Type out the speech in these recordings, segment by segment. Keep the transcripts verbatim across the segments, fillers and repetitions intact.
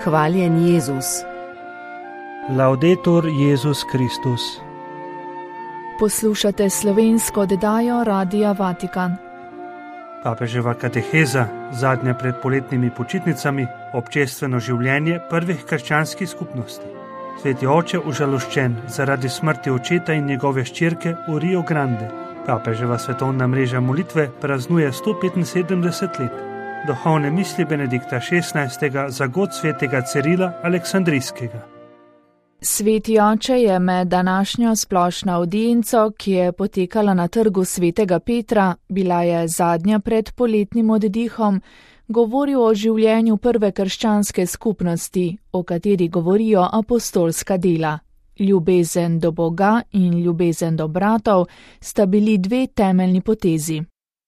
Hvaljen Jezus. Laudetur Jezus Kristus. Poslušate slovensko oddajo Radia Vatikan. Papeževa kateheza, zadnja pred poletnimi počitnicami, občestveno življenje prvih krščanskih skupnosti. Sveti oče užaloščen zaradi smrti očeta in njegove hčerke v Rio Grande. Papeževa svetovna mreža molitve praznuje sto petinsedemdeset let. Duhovne misli Benedikta šestnajstega za god svetega Cirila Aleksandrijskega. Sveti oče je med današnjo splošno avdienco, ki je potekala na trgu svetega Petra, bila je zadnja pred poletnim oddihom, govoril o življenju prve krščanske skupnosti, o kateri govorijo apostolska dela. Ljubezen do Boga in ljubezen do bratov sta bili dve temeljni potezi.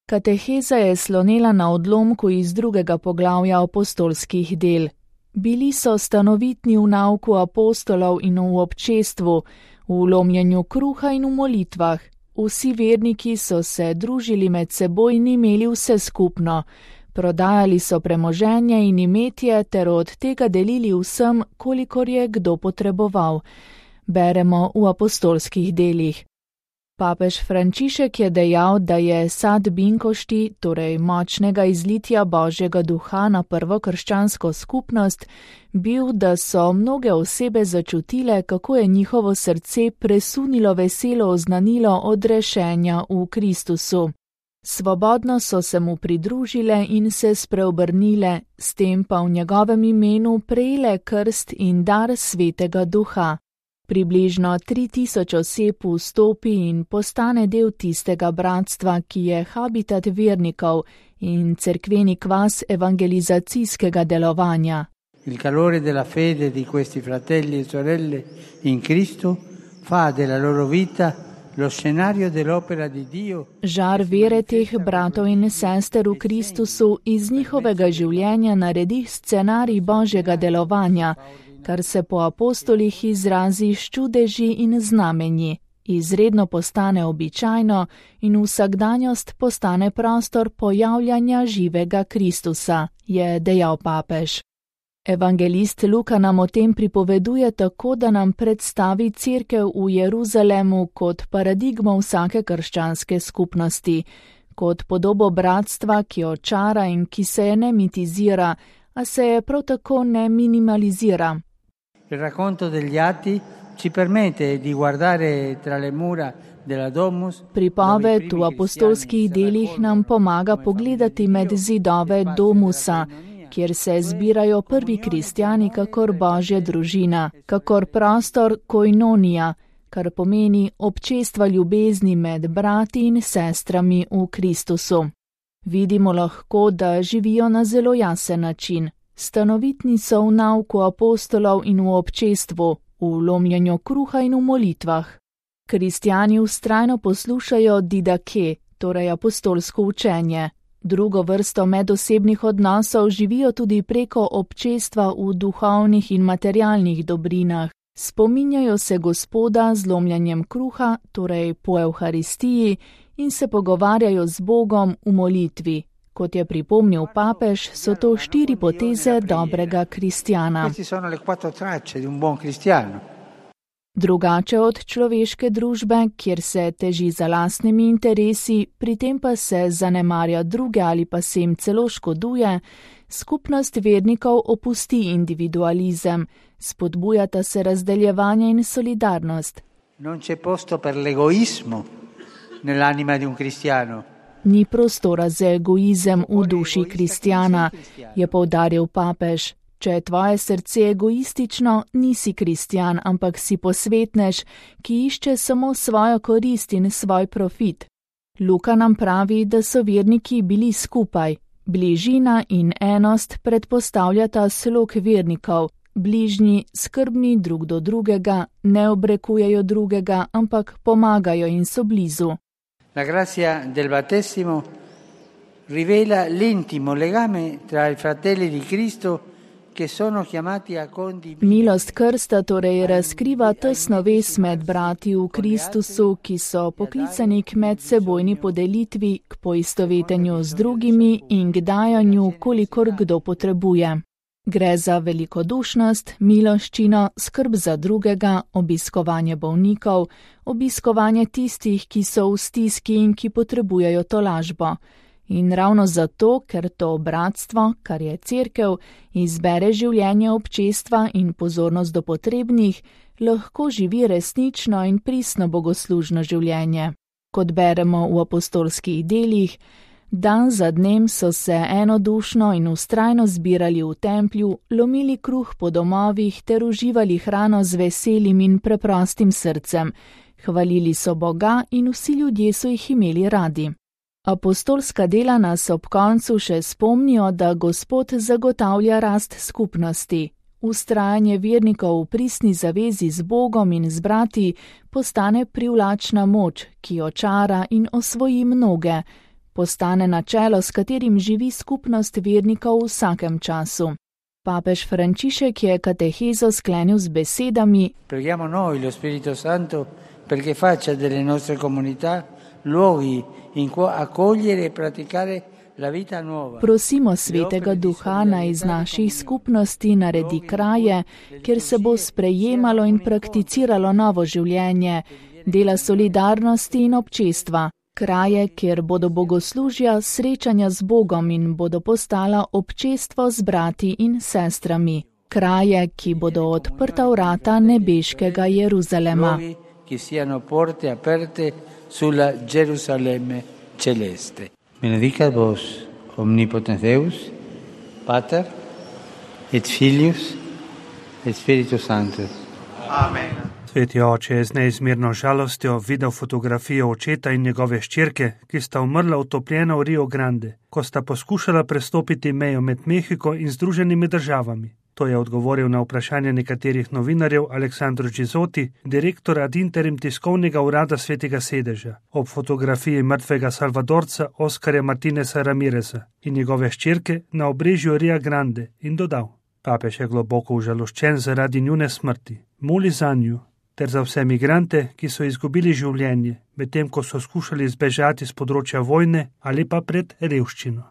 Kateheza je slonela na odlomku iz drugega poglavja apostolskih del. Bili so stanovitni v nauku apostolov in v občestvu, v lomljenju kruha in v molitvah. Vsi verniki so se družili med seboj in imeli vse skupno. Prodajali so premoženje in imetje ter od tega delili vsem, kolikor je kdo potreboval. Beremo v apostolskih delih. Papež Frančišek je dejal, da je sad binkošti, torej močnega izlitja Božjega duha na prvo krščansko skupnost, bil, da so mnoge osebe začutile, kako je njihovo srce presunilo veselo oznanilo odrešenja v Kristusu. Svobodno so se mu pridružile in se spreobrnile, s tem pa v njegovem imenu prejele krst in dar svetega duha. Približno tri tisoč oseb vstopi in postane del tistega bratstva, ki je habitat vernikov in cerkveni kvas evangelizacijskega delovanja. Il calore della fede di questi fratelli e sorelle in Cristo fa della loro vita lo scenario dell'opera di Dio. Žar vere teh bratov in sester v Kristusu iz njihovega življenja naredi scenarij Božjega delovanja, kar se po apostolih izrazi s čudeži in znamenji, izredno postane običajno in vsakdanjost postane prostor pojavljanja živega Kristusa, je dejal papež. Evangelist Luka nam o tem pripoveduje tako, da nam predstavi cerkev v Jeruzalemu kot paradigmo vsake krščanske skupnosti, kot podobo bratstva, ki očara in ki se je ne mitizira, a se je prav tako ne minimalizira. Il racconto degli atti ci permette di guardare tra le mura della domus. Pripoved v apostolskih delih nam pomaga pogledati med zidove domusa, kjer se zbirajo prvi kristjani kakor Božja družina, kakor prostor koinonija, kar pomeni občestva ljubezni med brati in sestrami v Kristusu. Vidimo lahko, da živijo na zelo jasen način. Stanovitni so v nauku apostolov in v občestvu, v lomljenju kruha in v molitvah. Kristjani vztrajno poslušajo didake, torej apostolsko učenje. Drugo vrsto medosebnih odnosov živijo tudi preko občestva v duhovnih in materialnih dobrinah. Spominjajo se Gospoda z lomljenjem kruha, torej po Evharistiji, in se pogovarjajo z Bogom v molitvi. Kot je pripomnil papež, so to štiri poteze dobrega kristjana. Drugače od človeške družbe, kjer se teži za lastnimi interesi, pri tem pa se zanemarja druge ali pa se jim celo škoduje, skupnost vernikov opusti individualizem, spodbujata se razdeljevanje in solidarnost. Non c'è posto per l'egoismo nell'anima di un cristiano. Ni prostora za egoizem v duši kristjana, je poudaril papež. Če je tvoje srce egoistično, nisi kristjan, ampak si posvetnež, ki išče samo svojo korist in svoj profit. Luka nam pravi, da so verniki bili skupaj. Bližina in enost predpostavljata slog vernikov. Bližnji, skrbni drug do drugega, ne obrekujejo drugega, ampak pomagajo in so blizu. La grazia del battesimo rivela l'intimo legame tra i fratelli di Cristo che sono chiamati a condividere. Milost krsta torej razkriva tesno vez med brati v Kristusu, ki so poklicani k medsebojni podelitvi, k poistovetenju z drugimi in k dajanju, kolikor kdo potrebuje. Gre za velikodušnost, miloščino, skrb za drugega, obiskovanje bolnikov, obiskovanje tistih, ki so v stiski in ki potrebujejo tolažbo. In ravno zato, ker to bratstvo, kar je cerkev, izbere življenje občestva in pozornost do potrebnih, lahko živi resnično in pristno bogoslužno življenje. Kot beremo v apostolskih delih, dan za dnem so se enodušno in vztrajno zbirali v templju, lomili kruh po domovih ter uživali hrano z veselim in preprostim srcem. Hvalili so Boga in vsi ljudje so jih imeli radi. Apostolska dela nas ob koncu še spomnijo, da Gospod zagotavlja rast skupnosti. Vztrajanje vernikov v pristni zavezi z Bogom in z brati postane privlačna moč, ki očara in osvoji mnoge. Postane načelo, s katerim živi skupnost vernikov v vsakem času. Papež Frančišek je katehezo sklenil z besedami: Preghiamo noi lo Spirito Santo perché faccia delle nostre comunità luoghi in cui accogliere e praticare la vita nuova. Prosimo Svetega Duha, naj iz naših skupnosti naredi kraje, kjer se bo sprejemalo in prakticiralo novo življenje, dela solidarnosti in občestva. Kraje, kjer bodo bogoslužja, srečanja z Bogom in bodo postala občestvo z brati in sestrami. Kraje, ki bodo odprta vrata nebeškega Jeruzalema. Che siano porte aperte sulla Gerusalemme celeste. Benedicat vos omnipotens Deus, Pater et Filius et Spiritus Sanctus. Amen. Sveti oče je z neizmerno žalostjo videl fotografijo očeta in njegove hčerke, ki sta umrla utopljena v Rio Grande, ko sta poskušala prestopiti mejo med Mehiko in Združenimi državami. To je odgovoril na vprašanje nekaterih novinarjev Aleksandro Gizotti, direktor ad interim tiskovnega urada Svetega sedeža, ob fotografiji mrtvega Salvadorca Oskarja Martineza Ramireza in njegove hčerke na obrežju Ria Grande in dodal: Papež je globoko užaloščen zaradi njune smrti. Moli zanju ter za vse migrante, ki so izgubili življenje, medtem ko so skušali zbežati z področja vojne ali pa pred revščino.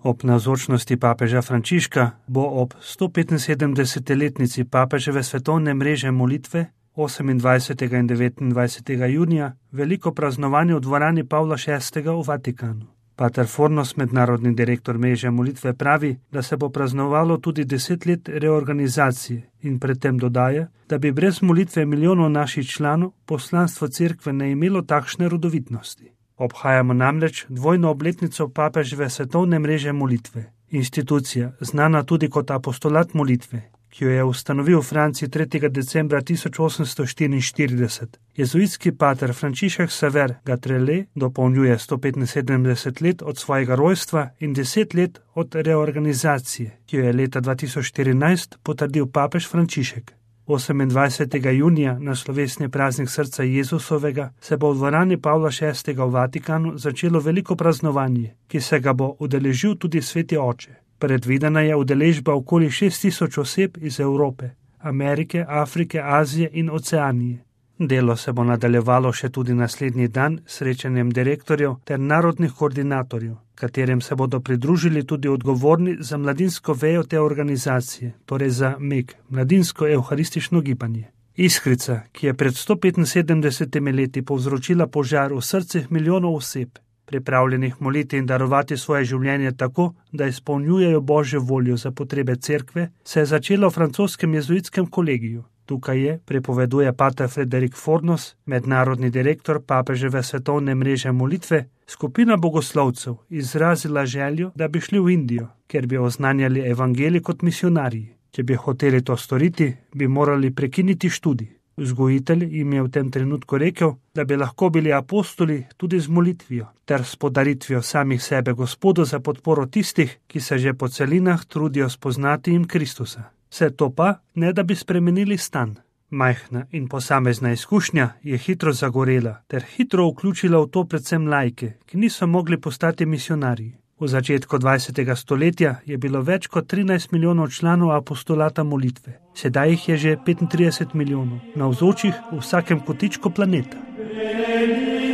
Ob navzočnosti papeža Frančiška bo ob sto petinsedemdesetletnici papeževe svetovne mreže molitve osemindvajsetega in devetindvajsetega junija veliko praznovanje v dvorani Pavla šestega v Vatikanu. Pater Fornos, mednarodni direktor mreže molitve, pravi, da se bo praznovalo tudi deset let reorganizacije in predtem dodaja, da bi brez molitve milijonov naših članov poslanstvo cerkve ne imelo takšne rodovitnosti. Obhajamo namreč dvojno obletnico papeževe svetovne mreže molitve, institucija, znana tudi kot apostolat molitve, ki jo je ustanovil v Franciji tretjega decembra tisoč osemsto štiriinštirideset. Jezuitski pater Frančišek Xaver Gatrele dopolnjuje sto petinsedemdeset let od svojega rojstva in deset let od reorganizacije, ki jo je leta dva tisoč štirinajst potrdil papež Frančišek. osemindvajsetega junija na slovesni praznik srca Jezusovega se bo v dvorani Pavla šestega v Vatikanu začelo veliko praznovanje, ki se ga bo udeležil tudi Sveti oče. Predvidena je udeležba okoli šest tisoč oseb iz Evrope, Amerike, Afrike, Azije in Oceanije. Delo se bo nadaljevalo še tudi naslednji dan s srečanjem direktorjev ter narodnih koordinatorjev, katerem se bodo pridružili tudi odgovorni za mladinsko vejo te organizacije, torej za M E G, mladinsko evharistično gibanje. Iskrica, ki je pred sto petinsedemdesetimi leti povzročila požar v srcih milijonov oseb, pripravljenih moliti in darovati svoje življenje tako, da izpolnjujejo Božjo voljo za potrebe cerkve, se je začela v francoskem jezuitskem kolegiju. Tukaj je, pripoveduje pater Frederik Fornos, mednarodni direktor papeževe svetovne mreže molitve, skupina bogoslovcev izrazila željo, da bi šli v Indijo, ker bi oznanjali evangelij kot misionarji. Če bi hoteli to storiti, bi morali prekiniti študij. Vzgojitelj jim je v tem trenutku rekel, da bi lahko bili apostoli tudi z molitvijo ter s podaritvijo samih sebe Gospodu za podporo tistih, ki se že po celinah trudijo spoznati jim Kristusa. Vse to pa, ne da bi spremenili stan. Majhna in posamezna izkušnja je hitro zagorela ter hitro vključila v to predvsem laike, ki niso mogli postati misionarji. V začetku dvajsetega stoletja je bilo več kot trinajst milijonov članov apostolata molitve. Sedaj jih je že petintrideset milijonov, navzočih v vsakem kotičku planeta. Benedictus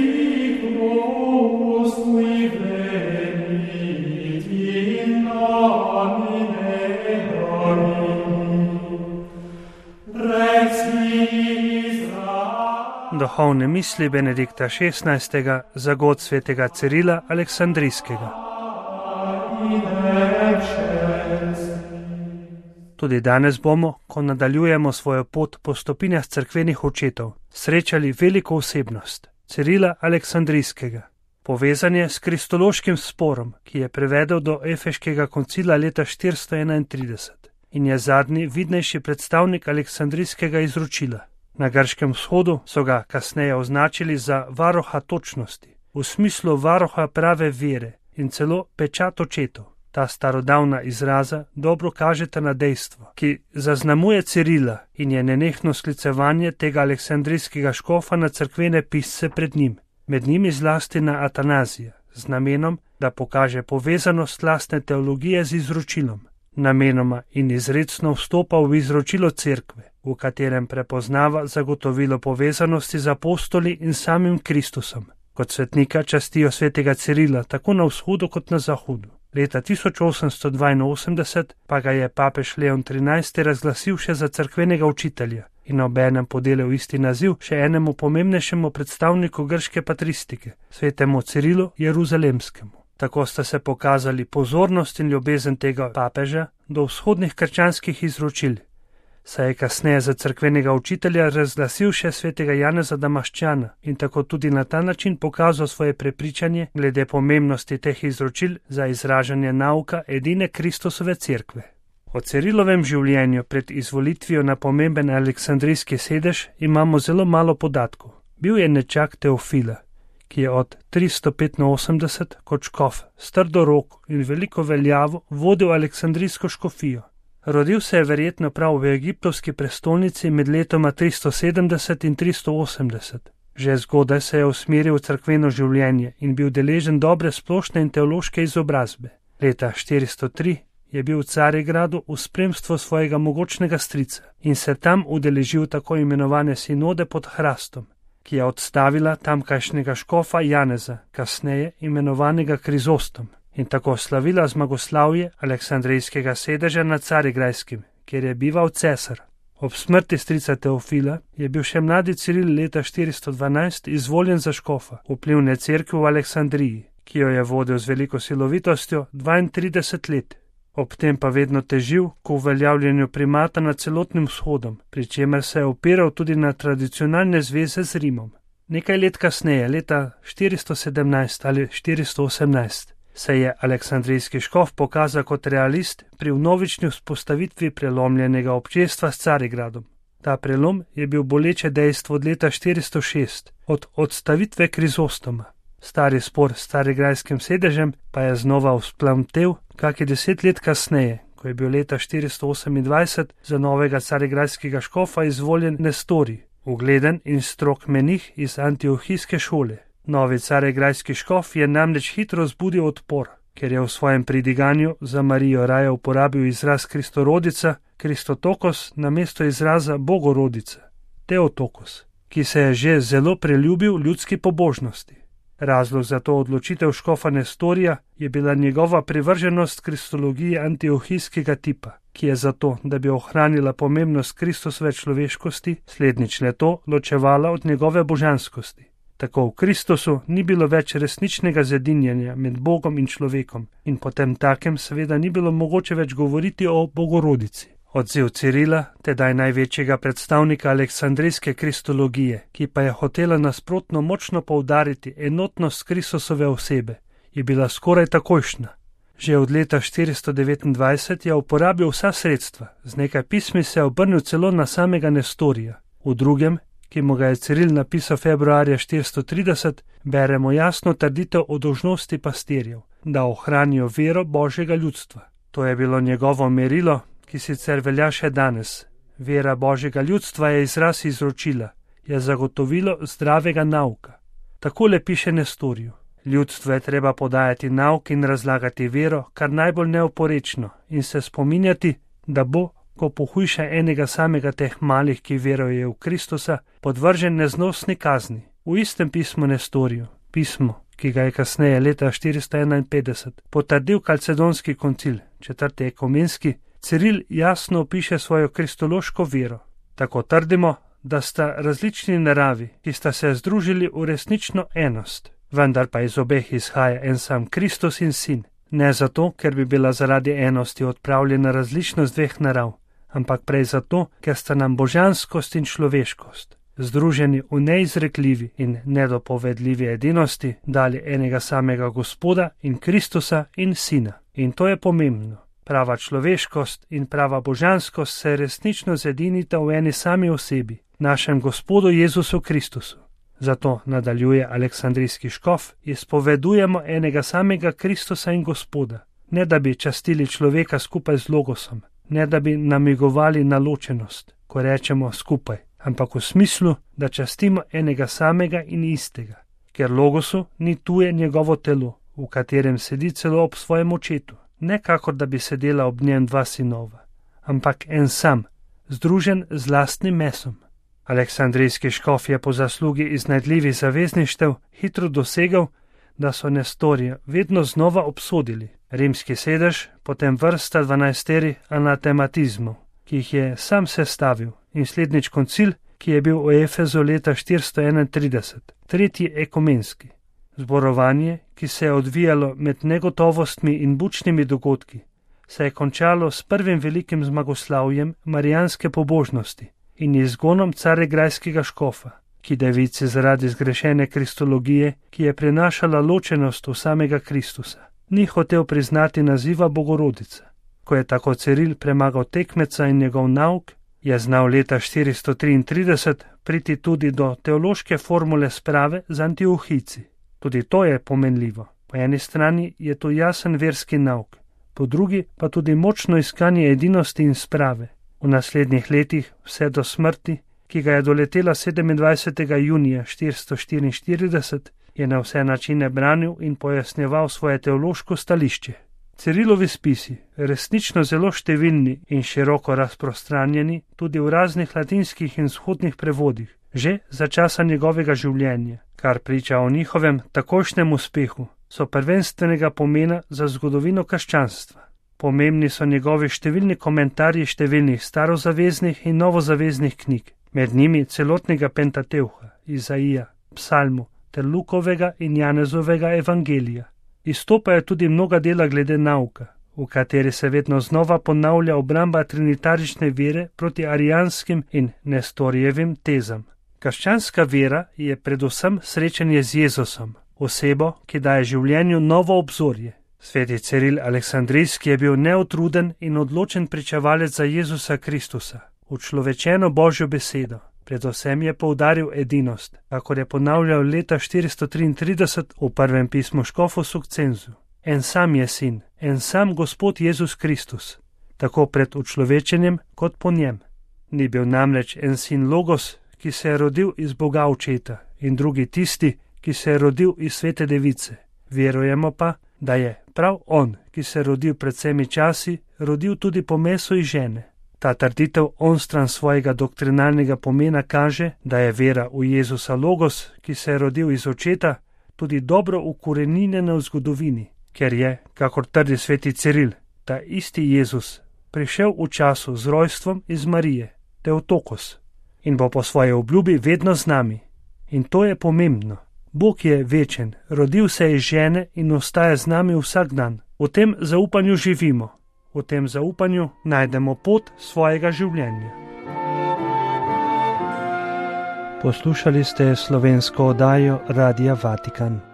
qui venit in duhovne misli Benedikta šestnajstega za god svetega Cirila Aleksandrijskega. Tudi danes bomo, ko nadaljujemo svojo pot po stopinjah cerkvenih očetov, srečali veliko osebnost, Cirila Aleksandrijskega. Povezan je s kristološkim sporom, ki je privedel do Efeškega koncila leta štiristo enaintrideset in je zadnji vidnejši predstavnik Aleksandrijskega izročila. Na Grškem vzhodu so ga kasneje označili za varoha točnosti, v smislu varoha prave vere in celo pečat očetov. Ta starodavna izraza dobro kažeta na dejstvo, ki zaznamuje Cirila in je nenehno sklicevanje tega aleksandrijskega škofa na cerkvene pisce pred njim, med njimi zlasti na Atanazija, z namenom, da pokaže povezanost lastne teologije z izročilom. Namenoma in izrecno vstopa v izročilo cerkve, v katerem prepoznava zagotovilo povezanosti z apostoli in samim Kristusom. Kot svetnika častijo svetega Cirila tako na vzhodu kot na zahodu. Leta tisoč osemsto dvainosemdeset pa ga je papež Leon trinajsti razglasil še za cerkvenega učitelja in obenem podelil isti naziv še enemu pomembnejšemu predstavniku grške patristike, svetemu Cirilu Jeruzalemskemu. Tako sta se pokazali pozornost in ljubezen tega papeža do vzhodnih krščanskih izročil, saj je kasneje za cerkvenega učitelja razglasil še svetega Janeza Damaščana in tako tudi na ta način pokazal svoje prepričanje glede pomembnosti teh izročil za izražanje nauka edine Kristusove cerkve. O Cirilovem življenju pred izvolitvijo na pomemben aleksandrijski sedež imamo zelo malo podatkov. Bil je nečak Teofila, ki je od tristo petinosemdeset kot škof s trdo roko in veliko veljavo vodil aleksandrijsko škofijo. Rodil se je verjetno prav v egiptovski prestolnici med letoma tristo sedemdeset in tristo osemdeset. Že zgodaj se je usmeril v cerkveno življenje in bil deležen dobre splošne in teološke izobrazbe. Leta štiristo tri je bil v Carigradu v spremstvu svojega mogočnega strica in se tam udeležil tako imenovane sinode pod Hrastom, ki je odstavila tamkajšnjega škofa Janeza, kasneje imenovanega Krizostom, in tako slavila zmagoslavje aleksandrijskega sedeža nad Carigrajskim, kjer je bival cesar. Ob smrti strica Teofila je bil še mladi Ciril leta štiristo dvanajst izvoljen za škofa vplivne cerkve v Aleksandriji, ki jo je vodil z veliko silovitostjo dvaintrideset let. Ob tem pa vedno težil k uveljavljanju primata nad celotnim vzhodom, pri čemer se je opiral tudi na tradicionalne zveze z Rimom. Nekaj let kasneje, leta štiristo sedemnajst ali štiristo osemnajst, se je aleksandrijski škof pokazal kot realist pri vnovični vzpostavitvi prelomljenega občestva s Carigradom. Ta prelom je bil boleče dejstvo od leta štiristo šest, od odstavitve Krizostoma. Stari spor s carigrajskim sedežem pa je znova vzplamtel kakih deset let kasneje, ko je bil leta štiristo osemindvajset za novega carigrajskega škofa izvoljen Nestorij, ugleden in strog menih iz antiohijske šole. Novi carigrajski škof je namreč hitro zbudil odpor, ker je v svojem pridiganju za Marijo raje uporabil izraz Kristorodica, Kristotokos namesto izraza Bogorodica, Teotokos, ki se je že zelo preljubil ljudski pobožnosti. Razlog za to odločitev škofa Nestorija je bila njegova privrženost kristologiji antiohijskega tipa, ki je zato, da bi ohranila pomembnost Kristusove človeškosti, slednjič le to ločevala od njegove božanskosti. Tako v Kristusu ni bilo več resničnega zedinjenja med Bogom in človekom in potem takem seveda ni bilo mogoče več govoriti o Bogorodici. Odziv Cirila, tedaj največjega predstavnika aleksandrijske kristologije, ki pa je hotela nasprotno močno poudariti enotnost Kristusove osebe, je bila skoraj takojšnja. Že od leta štiristo devetindvajset je uporabil vsa sredstva, z nekaj pismi se je obrnil celo na samega Nestorija. V drugem, ki mu ga je Ciril napisal februarja štiristo trideset, beremo jasno trditev o dolžnosti pastirjev, da ohranijo vero Božjega ljudstva. To je bilo njegovo merilo, ki sicer velja še danes. Vera Božjega ljudstva je izraz izročila, je zagotovilo zdravega nauka. Takole piše Nestoriju: ljudstvo je treba podajati nauk in razlagati vero, kar najbolj neoporečno, in se spominjati, da bo, ko pohujša enega samega teh malih, ki veruje v Kristusa, podvržen neznosni kazni. V istem pismu Nestoriju, pismo, ki ga je kasneje leta štiristo enainpetdeset potrdil Kalcedonski koncil, četrti ekumenski, Ciril jasno opiše svojo kristološko vero. Tako trdimo, da sta različni naravi, ki sta se združili v resnično enost, vendar pa iz obeh izhaja en sam Kristus in Sin. Ne zato, ker bi bila zaradi enosti odpravljena različnost dveh narav, ampak prej zato, ker sta nam božanskost in človeškost, združeni v neizrekljivi in nedopovedljivi edinosti, dali enega samega Gospoda in Kristusa in Sina. In to je pomembno. Prava človeškost in prava božanskost se resnično zedinita v eni sami osebi, našem Gospodu Jezusu Kristusu. Zato, nadaljuje aleksandrijski škof, izpovedujemo enega samega Kristusa in Gospoda, ne da bi častili človeka skupaj z logosom, ne da bi namigovali na ločenost, ko rečemo skupaj, ampak v smislu, da častimo enega samega in istega, ker logosu ni tuje njegovo telo, v katerem sedi celo ob svojem očetu, ne kakor da bi sedela ob njem dva sinova, ampak en sam, združen z lastnim mesom. Aleksandrijski škof je po zaslugi iznajdljivih zavezništev hitro dosegel, da so Nestorija vedno znova obsodili. Rimski sedež, potem vrsta dvanajsteri anatematizmov, ki jih je sam sestavil, in slednjič koncil, ki je bil v Efezu leta štiristo enaintrideset, tretji ekumenski. Zborovanje, ki se je odvijalo med negotovostmi in bučnimi dogodki, se je končalo s prvim velikim zmagoslavjem marijanske pobožnosti in izgonom caregrajskega škofa, ki devici zaradi zgrešene kristologije, ki je prinašala ločenost v samega Kristusa, ni hotel priznati naziva Bogorodica. Ko je tako Ciril premagal tekmeca in njegov nauk, je znal leta štiristo triintrideset priti tudi do teološke formule sprave z Antiohici. Tudi to je pomenljivo. Po eni strani je to jasen verski nauk, po drugi pa tudi močno iskanje edinosti in sprave. V naslednjih letih, vse do smrti, ki ga je doletela sedemindvajsetega junija štiristo štiriinštirideset, je na vse načine branil in pojasnjeval svoje teološko stališče. Cirilovi spisi, resnično zelo številni in široko razprostranjeni tudi v raznih latinskih in vzhodnih prevodih, že za časa njegovega življenja, kar priča o njihovem takojšnjem uspehu, so prvenstvenega pomena za zgodovino krščanstva. Pomembni so njegovi številni komentarji številnih starozaveznih in novozaveznih knjig, med njimi celotnega Pentateuha, Izaija, Psalmu ter Lukovega in Janezovega evangelija. Izstopajo tudi mnoga dela glede nauka, v kateri se vedno znova ponavlja obramba trinitarične vere proti arijanskim in Nestorijevim tezam. Krščanska vera je predvsem srečanje z Jezusom, osebo, ki daje življenju novo obzorje. Sveti Ciril Aleksandrijski je bil neutruden in odločen pričevalec za Jezusa Kristusa, učlovečeno Božjo besedo. Predvsem je poudaril edinost, kakor je ponavljal leta štiristo triintrideset v prvem pismu škofu Sukcenzu. En sam je sin, en sam Gospod Jezus Kristus, tako pred učlovečenjem kot po njem. Ni bil namreč en sin Logos, ki se je rodil iz Boga očeta, in drugi tisti, ki se je rodil iz svete device. Verujemo pa, da je prav on, ki se je rodil pred vsemi časi, rodil tudi po mesu iz žene. Ta trditev onstran svojega doktrinalnega pomena kaže, da je vera v Jezusa Logos, ki se je rodil iz očeta, tudi dobro ukoreninjena v zgodovini, ker je, kakor trdi sveti Ciril, ta isti Jezus prišel v času z rojstvom iz Marije, Teotokos, in bo po svoji obljubi vedno z nami. In to je pomembno. Bog je večen, rodil se iz žene in ostaja z nami vsak dan. V tem zaupanju živimo. V tem zaupanju najdemo pot svojega življenja. Poslušali ste slovensko oddajo Radia Vatikan.